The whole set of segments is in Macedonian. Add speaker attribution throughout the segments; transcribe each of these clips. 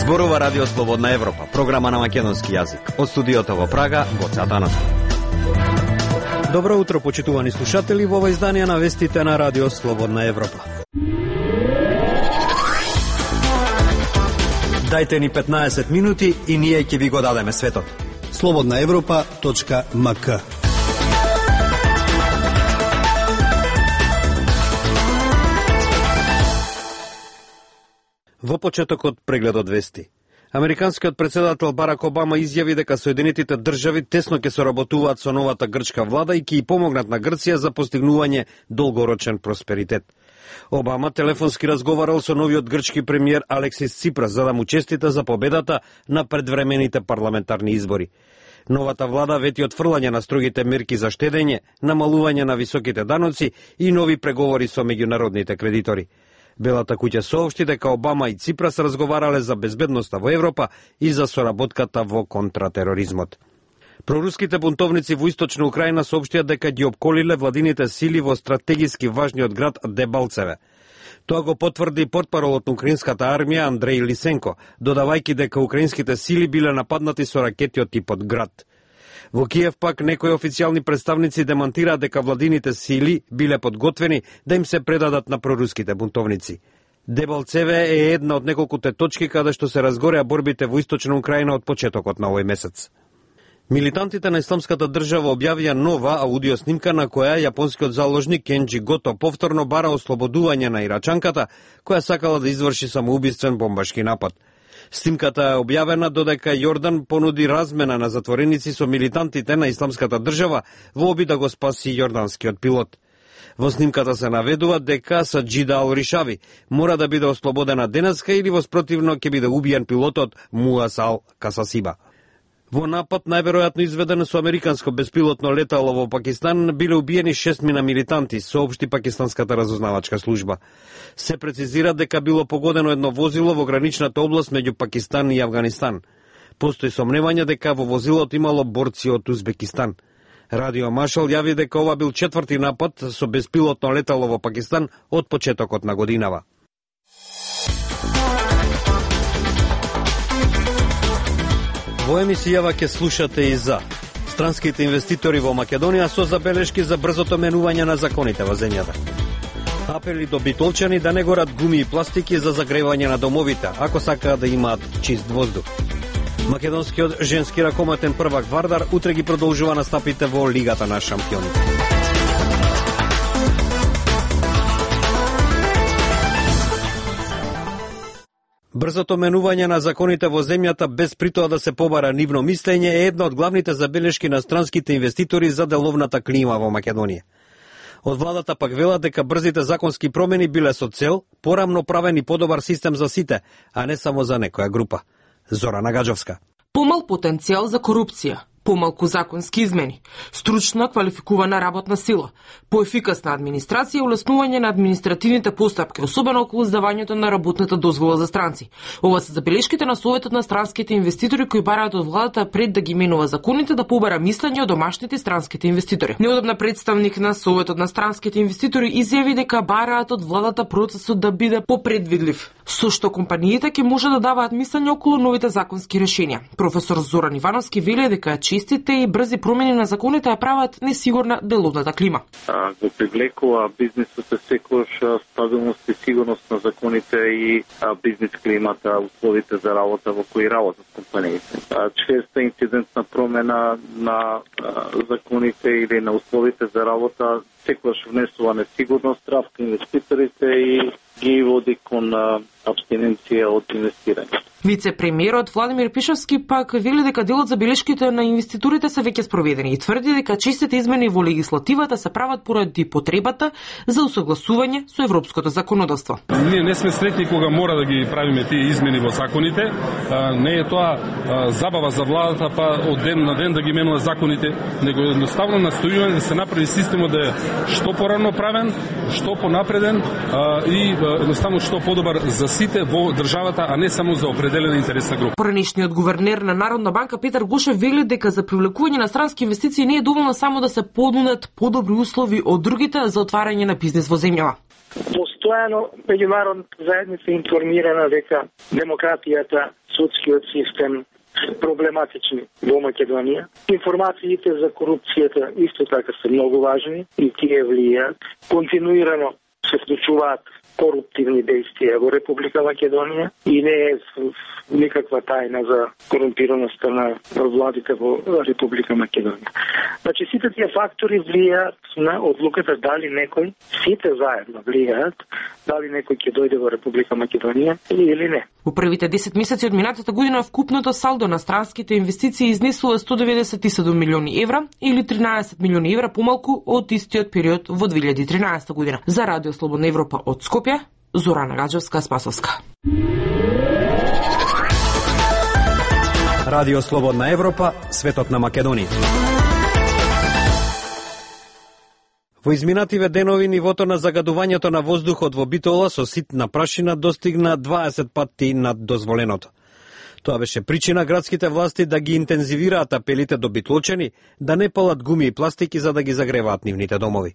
Speaker 1: Зборува Радио Слободна Европа, програма на македонски јазик. Од студиото во Прага, Гоце Атанасов. Добро утро, почитувани слушатели, во ова издание на вестите на Радио Слободна Европа. Дајте ни 15 минути и ние ќе ви го дадеме светот.
Speaker 2: slobodnaevropa.mk.
Speaker 1: Во почетокот прегледот вести. Американскиот председател Барак Обама изјави дека Соединетите држави тесно ќе соработуваат со новата грчка влада и ќе помогнат на Грција за постигнување долгорочен просперитет. Обама телефонски разговарал со новиот грчки премиер Алексис Ципрас за да му честита за победата на предвремените парламентарни избори. Новата влада вети отфрлање на строгите мерки за штедење, намалување на високите даноци и нови преговори со меѓународните кредитори. Белата куќа соопшти дека Обама и Ципрас разговарале за безбедноста во Европа и за соработката во контратероризмот. Проруските бунтовници во источна Украина соопштија дека ги опколиле владините сили во стратегиски важниот град Дебалцеве. Тоа го потврди портпаролот на украинската армија Андрей Лисенко, додавајќи дека украинските сили биле нападнати со ракети од типот Град. Во Киев пак некои официјални представници демонтираат дека владините сили биле подготвени да им се предадат на проруските бунтовници. Дебалцеве е една од неколкуте точки каде што се разгореа борбите во источна Украина од почетокот на овој месец. Милитантите на Исламската држава објавија нова аудиоснимка на која јапонскиот заложник Кенджи Гото повторно бара ослободување на ирачанката која сакала да изврши самоубиствен бомбашки напад. Снимката е објавена додека Јордан понуди размена на затвореници со милитантите на Исламската држава во обид да го спаси јорданскиот пилот. Во снимката се наведува дека Саџида Ал-Ришави мора да биде ослободена денеска или во спротивно ќе биде убиен пилотот Муас Ал-Касасиба. Во напад, најверојатно изведен со американско беспилотно летало во Пакистан, биле убиени 6 милитанти, соопшти пакистанската разузнавачка служба. Се прецизира дека било погодено едно возило во граничната област меѓу Пакистан и Авганистан. Постои сомневање дека во возилото имало борци од Узбекистан. Радио Машал јави дека ова бил четврти напад со беспилотно летало во Пакистан од почетокот на годинава. Во емисијава ќе слушате и за странските инвеститори во Македонија со забелешки за брзото менување на законите во земјата. Апели до битолчани да не горат гуми и пластики за загревање на домовите, ако сакаат да имаат чист воздух. Македонскиот женски ракометен првак Вардар утре ги продолжува настапите во Лигата на шампионите. Брзото менување на законите во земјата без притоа да се побара нивно мислење е една од главните забелешки на странските инвеститори за деловната клима во Македонија. Од владата пак велат дека брзите законски промени биле со цел порамно правен и подобар систем за сите, а не само за некоја група. Зора Нагаджовска.
Speaker 3: Помал потенцијал за корупција, помалку законски измени, стручна квалификувана работна сила, поефикасна администрација и улеснување на административните постапки, особено околу издавањето на работната дозвола за странци. Ова се забелешките на Советот на странските инвеститори кои бараат од владата пред да ги менува законите да побара мислење од домашните странските инвеститори. Неодамна представник на Советот на странските инвеститори изјави дека бараат од владата процесот да биде попредвидлив, со што компаниите ќе може да даваат мислење околу новите законски решенија. Професор Зоран Ивановски вели дека чистите и брзи промени на законите ја прават несигурна деловната клима.
Speaker 4: Го привлекува бизнисот секојаш стабилност и сигурност на законите и бизнис климата, условите за работа во кои работат компаниите. Честа инцидентна промена на законите или на условите за работа секојаш внесува несигурност, страх кон инвеститорите и ги води кон абстиненција од инвестирање.
Speaker 3: Вице-премиерот Владимир Пишовски пак вели дека делот за белешките на инвеститорите се веќе спроведени и тврди дека чистите измени во легислативата се прават поради потребата за усогласување со европското законодавство.
Speaker 5: Ние не сме сретни кога мора да ги правиме тие измени во законите. Не е тоа забава за владата па од ден на ден да ги менува законите, него едноставно настојуваме да се направи системот да е што порано правен, што понапреден и едноставно што подобар за сите во државата, а не само за определени определена интересна група.
Speaker 3: Поранешниот гувернер на Народна банка Петар Гошев вели дека за привлекување на странски инвестиции не е доволно само да се понудат подобри услови од другите за отварање на бизнис во земјава.
Speaker 2: Постојано меѓународната заедница информирана дека демократијата, судскиот систем проблематични во Македонија. Информациите за корупцијата исто така се многу важни и тие влијаат. Континуирано се случуваат коруптивни действија во Република Македонија и не е никаква тајна за корумпираноста на владите во Република Македонија. Значи сите тие фактори влијаат на одлуката дали некој, сите заедно влијаат дали некој ќе дојде во Република Македонија или не.
Speaker 3: Во првите 10 месеци од минатата година вкупното салдо на странските инвестиции изнесува 197 милиони евра или 13 милиони евра помалку од истиот период во 2013 година. За Радио Слободна Европа од Скопје, Зорана Гаджевска-Спасовска.
Speaker 1: Радио Слободна Европа, светот на Македонија. Во изминативе денови нивото на загадувањето на воздухот во Битола со ситна прашина достигна 20 пати над дозволеното. Тоа беше причина градските власти да ги интензивираат апелите до битолчани да не палат гуми и пластики за да ги загреваат нивните домови.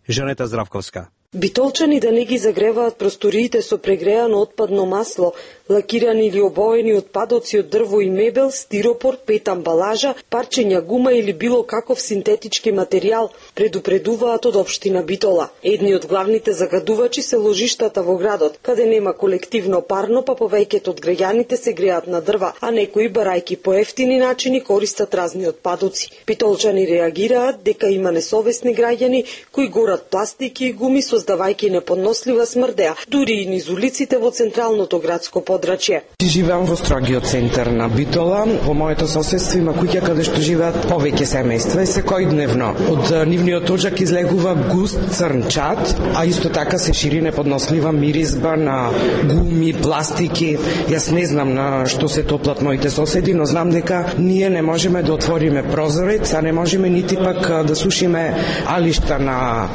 Speaker 1: Жанета Здравковска.
Speaker 6: Битолчани да не ги загреваат просториите со прегреано отпадно масло, лакирани или обоени отпадоци од дрво и мебел, стиропор, пет амбалажа, парчења гума или било каков синтетички материјал, предупредуваат од општина Битола. Едни од главните загадувачи се ложиштата во градот, каде нема колективно парно, па повеќето од граѓаните се греат на дрва, а некои барајки по ефтини начини користат разни отпадоци. Битолчани реагираат дека има несовесни граѓани кои горат пластики и гуми создавајќи неподнослива смрдеа, дури и низ улиците во централното градско подрачје.
Speaker 7: Живеам во строгиот центар на Битола. Во моето соседство има куќа каде што живеат повеќе семејства и секојдневно од нивниот оџак излегува густ црн чад, а исто така се шири неподнослива миризба на гуми, пластики. Јас не знам на што се топлат моите соседи, но знам дека ние не можеме да отвориме прозорец, а не можеме нити пак да сушиме алишта на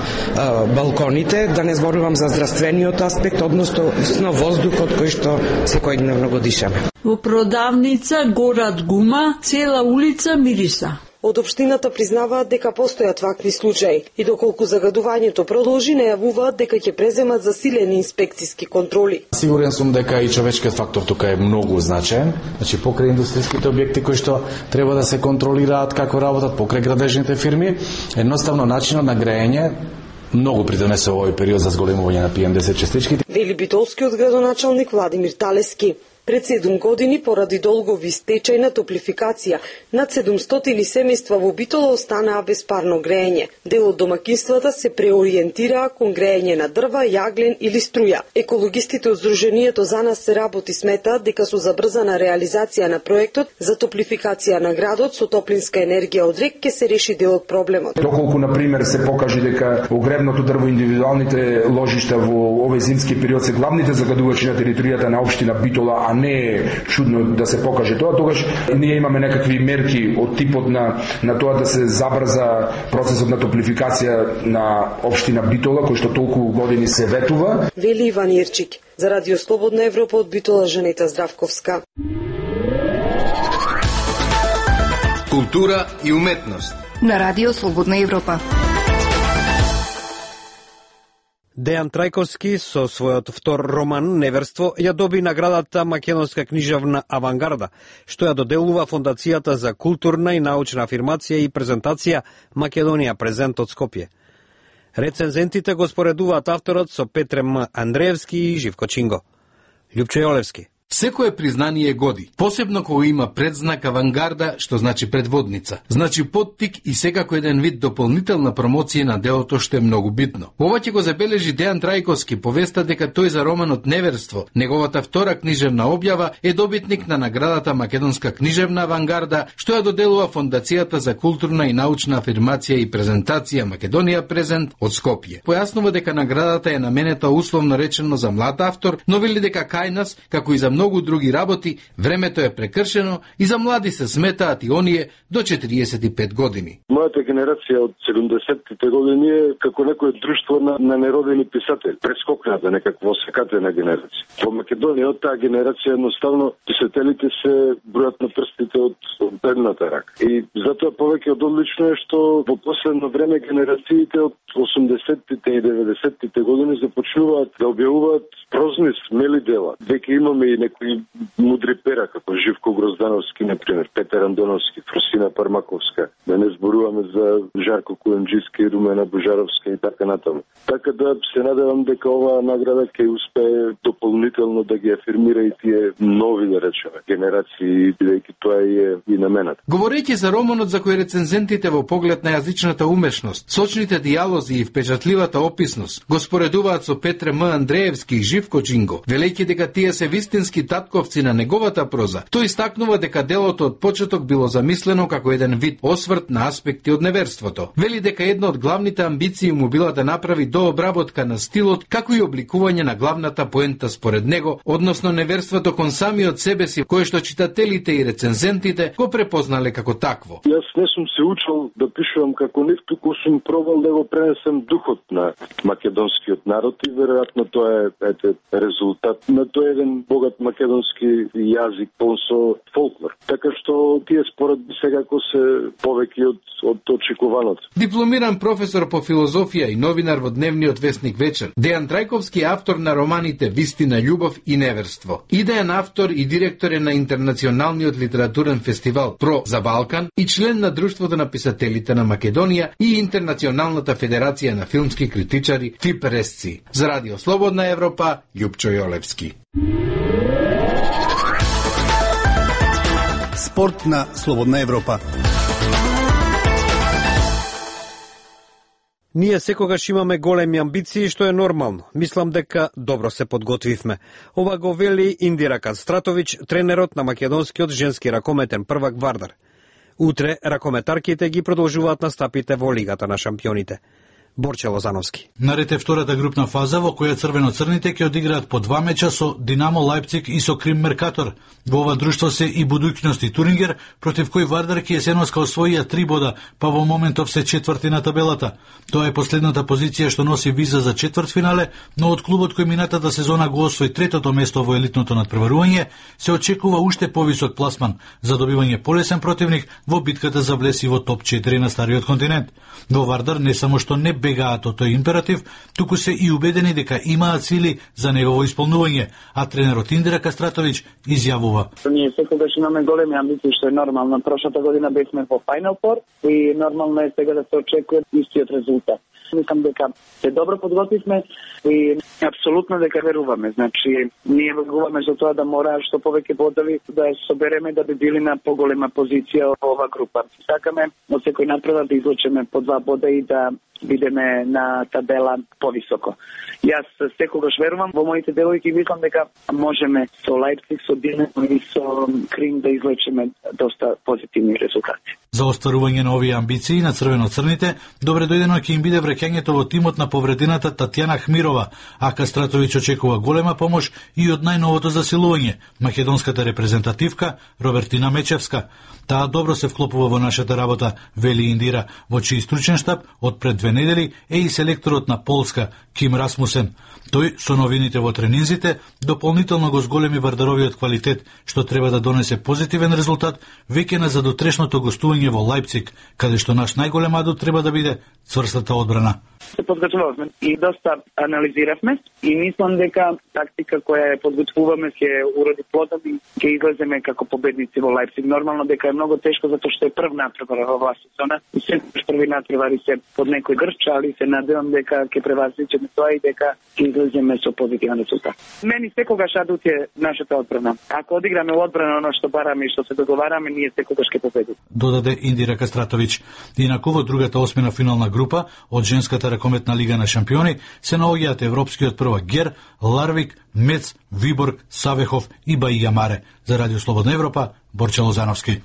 Speaker 7: балконите, да не зборувам за здравствениот аспект, односно воздухот кој што секојдневно го дишаме.
Speaker 8: Во продавница горат гума, цела улица мириса.
Speaker 6: Од општината признаваат дека постојат вакви случаи и доколку загадувањето продолжи, најавуваат дека ќе преземат засилени инспекциски контроли.
Speaker 9: Сигурен сум дека и човечкиот фактор тука е многу значаен. Значи покрај индустријските објекти кои што треба да се контролираат како работат, покрај градежните фирми, едноставно начинот на грејење многу придонесе овој период за зголемување на PM10 частичките.
Speaker 6: Вели битолскиот градоначалник Владимир Талески. Пред 7 години, поради долгови стечај на топлификација, над 700 семејства во Битола останаа без парно грејење. Дел од домакинствата се преориентираа кон грејење на дрва, јаглен или струја. Екологистите од Сдруженијето За нас се работи сметаат дека со забрзана реализација на проектот за топлификација на градот со топлинска енергија од рек ќе се реши дел од проблемот.
Speaker 10: Доколку на пример се покаже дека огревното дрво, индивидуалните ложишта во овој зимски период се главните загадувачи на територијата на општина Битола, а не е чудно да се покаже тоа, тогаш ние имаме некакви мерки од типот на тоа да се забрза процесот на топлификација на општина Битола, кој што толку години се ветува.
Speaker 6: Вели Иван Ирчик. За Радио Слободна Европа од Битола, Жанета Здравковска.
Speaker 11: Култура и уметност
Speaker 12: на Радио Слободна Европа.
Speaker 1: Дејан Трајковски со својот втор роман Неверство ја доби наградата Македонска книжевна авангарда, што ја доделува Фондацијата за културна и научна афирмација и презентација Македонија презент од Скопје. Рецензентите го споредуваат авторот со Петре М. Андреевски и Живко Чинго. Љупчо Јолевски.
Speaker 11: Секое признание годи, посебно кога има предзнак авангарда, што значи предводница. Значи поттик и секако еден вид дополнителна промоција на делото, што е многу битно. Ова ќе го забележи Дејан Трајковски, повеста дека тој за романот Неверство, неговата втора книжевна објава, е добитник на наградата Македонска книжевна авангарда, што ја доделува Фондацијата за културна и научна афирмација и презентација Македонија презент од Скопје. Појаснува дека наградата е наменета условно речено за млад автор, но вели дека кај нас, како и за многу други работи, времето е прекршено и за млади се сметаат и оние до 45 години.
Speaker 13: Мојата генерација од 70-тите години е како некое друштво на неродени писатели. Прескокната некакво секатена генерација. Во Македонија од таа генерација едноставно писателите се бројат на прстите од едната рака. И затоа повеќе од одлично е што во последно време генерациите од 80-тите и 90-тите години започнуваат да објавуваат прозни, смели дела. Веќе имаме и некои мудри пера, како Живко Гроздановски, например, Петер Андоновски, Фросина Пармаковска, да не зборуваме за Жарко Куенджиски, Румена Божаровска и така натаму. Така да се надевам дека оваа награда ќе успее дополнително да ги афирмира и тие нови, да речеме, генерации, бидејќи тоа е и намената.
Speaker 11: Говорејќи за романот за кој рецензентите во поглед на јазичната умешност, сочните дијалози и впечатливата описност го споредуваат со Петре М. Андреевски и Живко Джинго, велејќи дека тие се вистински татковци на неговата проза, тој истакнува дека делото од почеток било замислено како еден вид осврт на аспекти од неверството. Вели дека една од главните амбиции му била да направи дообработка на стилот, како и обликување на главната поента според него, односно неверството кон самиот себе си, кое што читателите и рецензентите го препознале како такво.
Speaker 13: Јас не сум се учил да пишувам како нив, туку сум пробал да го пренесем духот на македонскиот народ и веројатно тоа е резултат на тој еден богат македонски јазик полн со фолклор. Така што тие споредби секако се повеќе од очекуваното.
Speaker 11: Дипломиран професор по филозофија и новинар во дневниот весник Вечер, Дејан Трајковски е автор на романите Вистина, љубов и неверство. Идеен автор и директор е на Интернационалниот литературен фестивал Про за Балкан и член на Друштвото на писателите на Македонија и Интернационалната федерација на филмски критичари ФИПРЕСЦИ. За Радио Слободна Европа, Љупчо Јолевски.
Speaker 14: Спорт на Слободна Европа.
Speaker 1: Ние секогаш имаме големи амбиции, што е нормално. Мислам дека добро се подготвивме. Ова го вели Индира Кастратович, тренерот на македонскиот женски ракометен првак Вардар. Утре ракометарките ги продолжуваат настапите во Лигата на шампионите. Борче Лозановски.
Speaker 15: Наред е втората групна фаза во која црвено-црните ќе одиграат по 2 меча со Динамо Лајпциг и со Крим Меркатор. Во ова друштво се и Будуќност и Турингер, против кој Вардар ќе есеноска освоија 3 бода, па во моментов се четврти на табелата. Тоа е последната позиција што носи виза за четвртфинале, но од клубот кој минатата сезона го освои третото место во елитното надпреварување, се очекува уште повисок пласман за добивање полесен противник во битката за влез и во топ 4 на стариот континент. Во Вардар не само што не бегаат од тој императив, туку се и убедени дека имаат сили за негово исполнување, а тренерот Индира Кастратович изјавува:
Speaker 16: Ние секогаш имаме големи амбиции, што е нормално. Прошлата година бевме во Final Four и нормално е сега да се очекува истиот резултат. Мислам дека се добро подготвивме и апсолутно дека веруваме. Значи, ние веруваме за тоа да мора што повеќе бодови да собереме да би били на поголема позиција во ова група. Сакаме од секој напредок да извлечеме по 2 бода и да бидеме на табела повисоко. Јас секогаш верувам во моите девојки и мислам дека можеме со Лајпциг, со Динамо и со Крим да извлечеме доста позитивни резултати.
Speaker 15: За остварување на овие амбиции на црвено-црните, добре дојдено ќе им биде враќањето во тимот на повредената Татјана Хмирова, а Кастратович очекува голема помош и од најновото засилување, македонската репрезентативка Робертина Мечевска. Таа добро се вклопува во нашата работа, вели Индира, во чиј стручен штаб од пред 2 недели е и селекторот на Полска Ким Расмусен. Тој со новините во тренинзите дополнително го зголеми Вардаровиот квалитет, што треба да донесе позитивен резултат веќе на задутрешното гостување во Лајпциг, каде што наш најголем адут треба да биде цврстата одбрана.
Speaker 16: Се подготвувавме и доста анализиравме и мислам дека тактика која ја подготвуваме ќе уроди плодом и ќе излеземе како победници во Лајпциг. Нормално дека е многу тешко затоа што е прв натпревар во оваа сезона и се први натпревари се под некој грч, али се надевам дека ќе превазичиме тоа и дека ќе излеземе со позитивен резултат. Мени секогаш адут е нашата одбрана. Ако одиграме одбрана оно што бараме и што се договараме, ние секогаш ќе победиме.
Speaker 15: Додаде Индира Кастратович. Инаку во другата осмина финална група од женската ракометна лига на шампиони се наоѓаат европскиот првак Гер, Ларвик, Мец, Виборг, Савехов и Баија Маре. За Радио Слободна Европа, Борче Лозановски.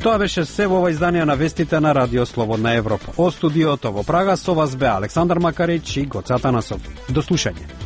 Speaker 1: Тоа беше се во ова издание на вестите на Радио Слободна Европа. Од студиото во Прага со вас бе Александар Макарич и Гоце Атанасов. До слушање.